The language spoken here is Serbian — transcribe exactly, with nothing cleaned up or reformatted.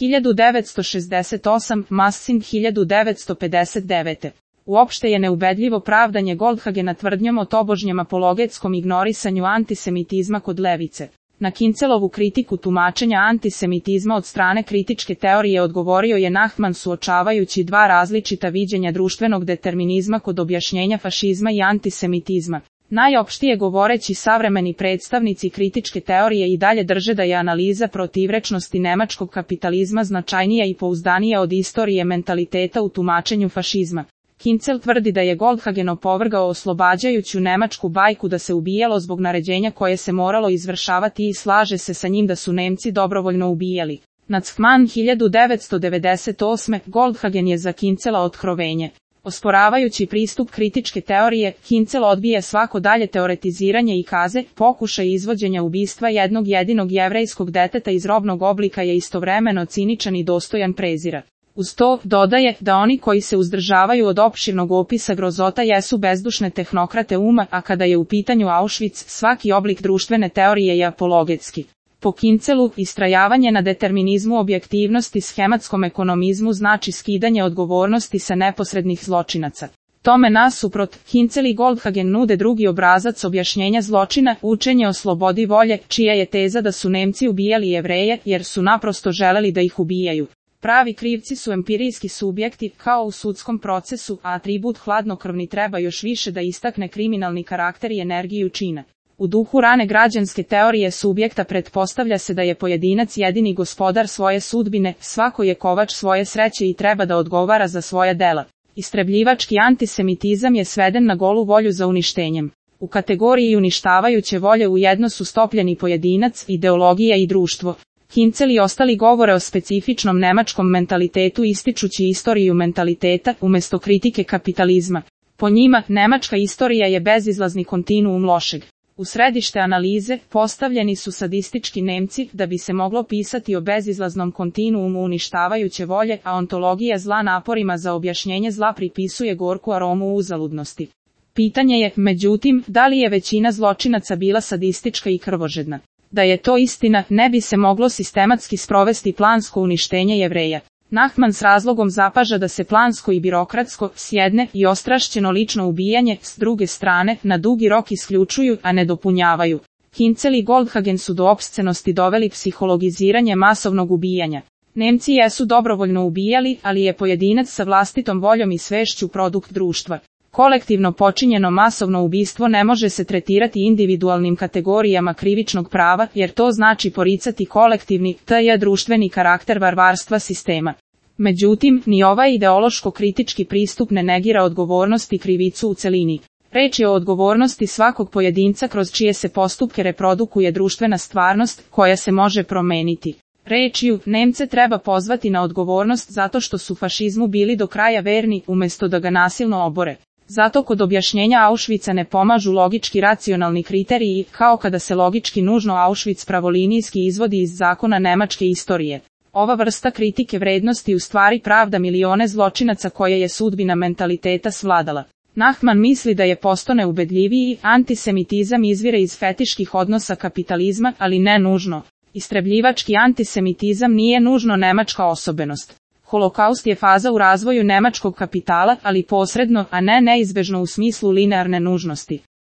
hiljadu devetsto šezdeset osam, Massin hiljadu devetsto pedeset devete. Uopšte je neubedljivo pravdanje Goldhagena tvrdnjom o tobožnjem apologetskom ignorisanju antisemitizma kod levice. Na Kincelovu kritiku tumačenja antisemitizma od strane kritičke teorije odgovorio je Nachman suočavajući dva različita viđenja društvenog determinizma kod objašnjenja fašizma i antisemitizma. Najopštije govoreći, savremeni predstavnici kritičke teorije i dalje drže da je analiza protivrečnosti nemačkog kapitalizma značajnija i pouzdanija od istorije mentaliteta u tumačenju fašizma. Kincel tvrdi da je Goldhagen opovrgao oslobađajuću nemačku bajku da se ubijalo zbog naređenja koje se moralo izvršavati i slaže se sa njim da su Nemci dobrovoljno ubijali. Nachman hiljadu devetsto devedeset osme. Goldhagen je za Kincela otkrovenje. Osporavajući pristup kritičke teorije, Kincel odbija svako dalje teoretiziranje i kaže, pokušaj izvođenja ubistva jednog jedinog jevrejskog deteta iz robnog oblika je istovremeno ciničan i dostojan prezira. Uz to, dodaje, da oni koji se uzdržavaju od opširnog opisa grozota jesu bezdušne tehnokrate uma, a kada je u pitanju Auschwitz, svaki oblik društvene teorije je apologetski. Po Kincelu, istrajavanje na determinizmu objektivnosti schematskom ekonomizmu znači skidanje odgovornosti sa neposrednih zločinaca. Tome nasuprot, Kincel i Goldhagen nude drugi obrazac objašnjenja zločina, učenje o slobodi volje, čija je teza da su Nemci ubijali Jevreje, jer su naprosto želeli da ih ubijaju. Pravi krivci su empirijski subjekti, kao u sudskom procesu, a atribut hladnokrvni treba još više da istakne kriminalni karakter i energiju čina. U duhu rane građanske teorije subjekta pretpostavlja se da je pojedinac jedini gospodar svoje sudbine, svako je kovač svoje sreće i treba da odgovara za svoja dela. Istrebljivački antisemitizam je sveden na golu volju za uništenjem. U kategoriji uništavajuće volje ujedno su stopljeni pojedinac, ideologija i društvo. Kincel i ostali govore o specifičnom nemačkom mentalitetu ističući istoriju mentaliteta, umjesto kritike kapitalizma. Po njima, nemačka istorija je bezizlazni kontinuum lošeg. U središte analize postavljeni su sadistički Nemci, da bi se moglo pisati o bezizlaznom kontinuumu uništavajuće volje, a ontologija zla naporima za objašnjenje zla pripisuje gorku aromu uzaludnosti. Pitanje je, međutim, da li je većina zločinaca bila sadistička i krvožedna? Da je to istina, ne bi se moglo sistematski sprovesti plansko uništenje Jevreja. Nachman s razlogom zapaža da se plansko i birokratsko, s jedne, i ostrašćeno lično ubijanje, s druge strane, na dugi rok isključuju, a ne dopunjavaju. Kincel i Goldhagen su do opscenosti doveli psihologiziranje masovnog ubijanja. Nemci jesu dobrovoljno ubijali, ali je pojedinac sa vlastitom voljom i svešću produkt društva. Kolektivno počinjeno masovno ubistvo ne može se tretirati individualnim kategorijama krivičnog prava, jer to znači poricati kolektivni, tj. društveni karakter varvarstva sistema. Međutim, ni ovaj ideološko-kritički pristup ne negira odgovornost i krivicu u celini. Reč je o odgovornosti svakog pojedinca kroz čije se postupke reprodukuje društvena stvarnost, koja se može promeniti. Rečju, Nemce treba pozvati na odgovornost zato što su fašizmu bili do kraja verni, umjesto da ga nasilno obore. Zato kod objašnjenja Auschwitza ne pomažu logički racionalni kriteriji, kao kada se logički nužno Auschwitz pravolinijski izvodi iz zakona nemačke istorije. Ova vrsta kritike vrednosti u stvari pravda milione zločinaca koje je sudbina mentaliteta svladala. Nachman misli da je posto neubedljiviji, antisemitizam izvire iz fetiških odnosa kapitalizma, ali ne nužno. Istrebljivački antisemitizam nije nužno nemačka osobenost. Holokaust je faza u razvoju nemačkog kapitala, ali posredno, a ne neizbežno u smislu linearne nužnosti.